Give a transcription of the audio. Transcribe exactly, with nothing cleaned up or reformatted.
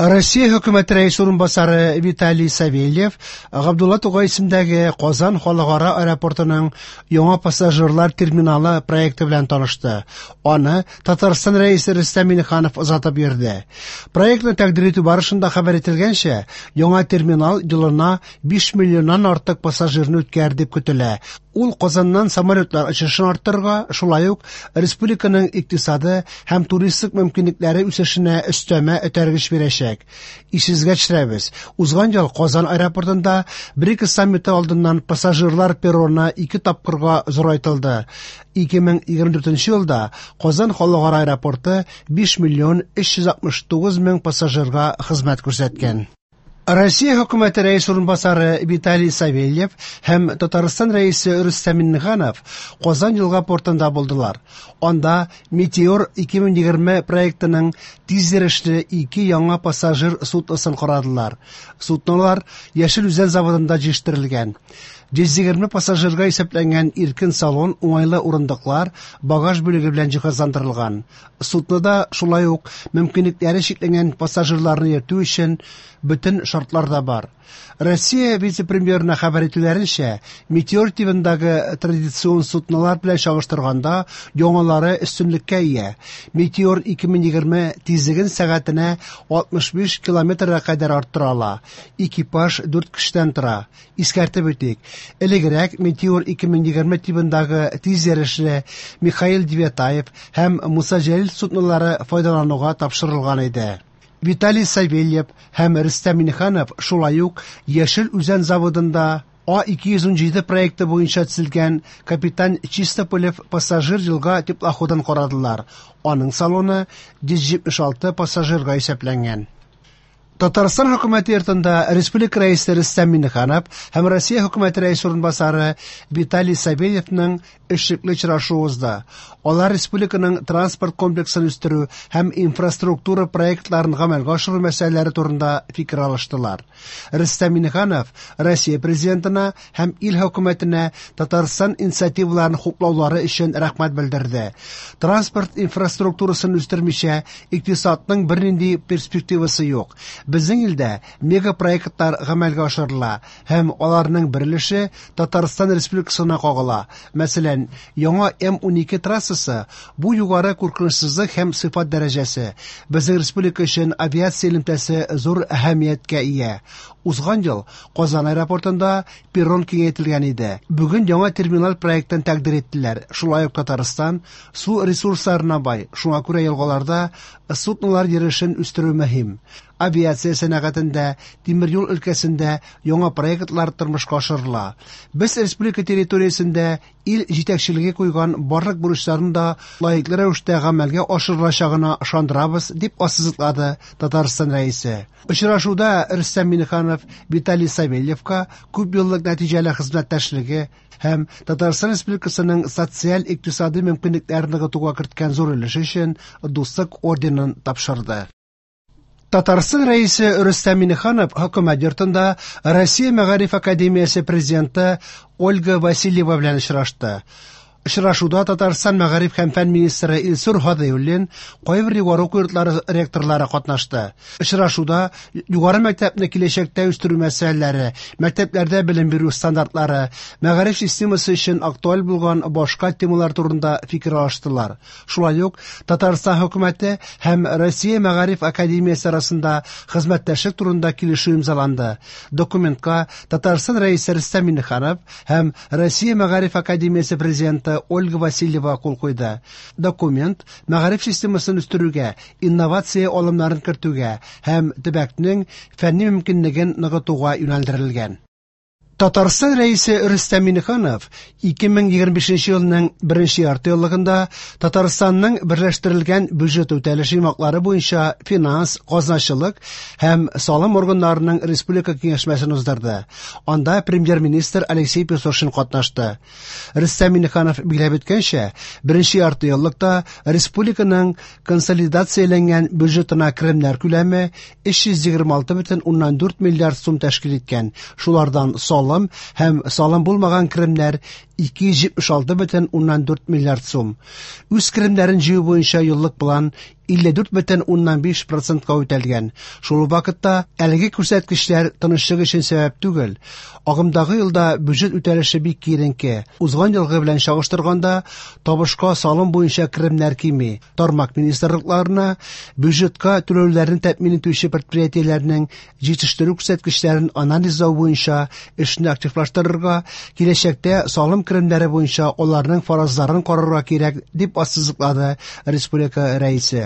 Россия хөкүмәте рәисе урынбасары Виталий Савельев Габдулла Тукай исемендәге Казан халыкара аэропортының яңа пассажирлар терминалы проекты белән танышты. Аны Татарстан рәисе Рөстәм Миңнеханов озатып йөрде. Проектны тәкъдир итү барышында хәбәр ителгәнчә, яңа терминал елына биш миллионнан артык пассажирны үткәрер дип көтелә. Ул Казаннан самолетлар очышын арттырырга, шулай ук республиканың икътисады һәм туристик мөмкинлекләре үсешенә өстәмә этәргеч бирәчәк. Исегезгә төшерәбез, узган ел Казан аэропортында БРИКС саммиты алдыннан пассажирлар перроны ике тапкырга зурайтылды. ике мең егерме дүртенче елда Казан халыкара аэропорты биш миллион өч йөз алтмыш тугыз мең пассажирга хезмәт күрсәткән. Россия хөкүмәте рәисе урынбасары Виталий Савельев һәм Татарстан рәисе Рөстәм Миңнеханов Казан елга портында булдылар. Анда Метеор ике мең егерме проектының тиз йөрешле ике яңа пассажир судносын карадылар. Суднолар Яшел Үзән заводында җитештерелгән. Йөз егерме пассажирга исәпләнгән иркен салон, уңайлы урындыклар, багаж бүлеге белән җиһазландырылган. Суднода шулай ук мөмкинлекләре чикләнгән пассажирларны йөртү өчен бөтен шартлар да бар. Россия вице-премьерына хәбәр итүләренчә, Метеор тибындагы традицион суднолар белән чагыштырганда яңалары өстенлеккә ия. Метеор ике мең егерме тизлеген сәгатенә алтмыш биш километрга кадәр арттыра ала. Экипаж дүрт кешедән тора. Искәртеп үтик, элегрәк Метеор ике мең егерме тибындагы тиз йөрешле Михаил Девятаев һәм Муса Җәлил суднолары файдалануга тапшырылган иде. Виталий Савельев һәм Рөстәм Миңнеханов шулай ук Яшел Үзән заводында А ике йөз унҗиде проекты буенча төзелгән Капитан Чистополев пассажир елга теплоходын карадылар. Аның салоны йөз җитмеш алты пассажирга исәпләнгән. Татарстан хөкүмәте йортында Республика рәисе Рөстәм Миңнеханов һәм Россия хөкүмәте рәисе урынбасары Виталий Савельевның эшлекле очрашуы узды. Алар республиканың транспорт комплексын үстерү һәм инфраструктура проектларын гамәлгә ашыру мәсьәләләре турында фикер алыштылар. Рөстәм Миңнеханов Россия президентына һәм ил хөкүмәтенә Татарстан инициативаларын хуплаулары өчен рәхмәт белдерде. Транспорт инфраструктурасын үстермичә икътисадның бернинди перспективасы юк. Безнең илдә мегапроектлар гамәлгә ашырыла һәм аларның бер өлеше Татарстан Республикасына кагыла. Мәсәлән, яңа М унике трассасы бу югары куркынычсызлык һәм сыйфат дәрәҗәсе. Безнең республика өчен авиация элемтәсе зур әһәмияткә ия. Узган ел Казан аэропортында перрон киңәйтелгән иде. Бүген яңа терминал проектын тәкъдир иттеләр. Шулай ук Татарстан су ресурсларына бай. Шуңа күрә елгаларда суднолар йөрешен үстерү мөһим. Авиация сәнәгатендә, тимер юл өлкәсендә яңа проектлар тормышка ашырыла. Без республика территориясендә ил җитәкчелеге куйган барлык бурычларны да лаеклы рәвештә гамәлгә ашырылачагына ышандырабыз, дип ассызыклады Татарстан рәисе. Очрашуда Рөстәм Миңнеханов Виталий Савельевка күп еллык нәтиҗәле хезмәттәшлеге һәм Татарстан Республикасының социаль-икътисади мөмкинлекләрен ныгытуга керткән зур өлеше өчен Дуслык орденын тапшырды. Татарстан рәисе Рөстәм Миңнеханов хөкүмәт йортында Россия Мәгариф академиясе президенты Ольга Васильева белән очрашты. Очрашуда Татарстан Мәгариф һәм фән министры Илсур Һадиуллин, кайбер югары уку йортлары ректорлары катнашты. Очрашуда югары мәктәпне киләчәктә үстерү мәсьәләләре, мәктәпләрдә белем бирү стандартлары, мәгариф системасы өчен актуаль булган башка темалар турында фикер алыштылар. Шулай ук Татарстан хөкүмәте һәм Россия Мәгариф академиясе арасында хезмәттәшлек турында килешү имзаланды. Документка Татарстан рәисе Рөстәм Миңнеханов һәм Россия Мәгариф академиясе президенты Ольга Васильева кул куйды. Документ мәгариф системасын үстерүгә, инновация алымнарын кертүгә һәм төбәкнең фәнни мөмкинлеген ныгытуга юнәлдерелгән. Татарстан рәисе Рөстәм Миңнеханов ике мең егерме бишенче елның беренче ярты еллыгында Татарстанның берләштерелгән бюджет үтәлеше йомгаклары буенча финанс, казначылык һәм салым органнарының республика киңәшмәсен уздырды. Анда премьер-министр Алексей Песошин катнашты. Рөстәм Миңнеханов билгеләп үткәнчә, беренче ярты еллыкта республиканың консолидацияләнгән бюджетына керемнәр күләме өч йөз егерме алты бөтен уннан дүрт миллиард сум тәшкил иткән. Шулардан салым һәм салым булмаган керемнәр ике йөз җитмеш алты бөтен уннан дүрт миллиард сум. Үз керемнәрен җыю буенча еллык план илле дүрт бөтен уннан биш процентка үтәлгән. Шул ук вакытта әлеге күрсәткечләр тынычлык өчен сәбәп түгел. Агымдагы елда бюджет үтәлеше бик киеренке. Узган елгы белән чагыштырганда табышка салым буенча керемнәр кими. Тармак министрлыкларына бюджетка түләүләрне тәэмин итүче предприятиеләрнең җитештерү күрсәткечләрен анализлау буенча эшне активлаштырырга, киләчәктә салым керемнәре буенча аларның фаразларын карарга кирәк, дип ассызыклады республика Рәисе.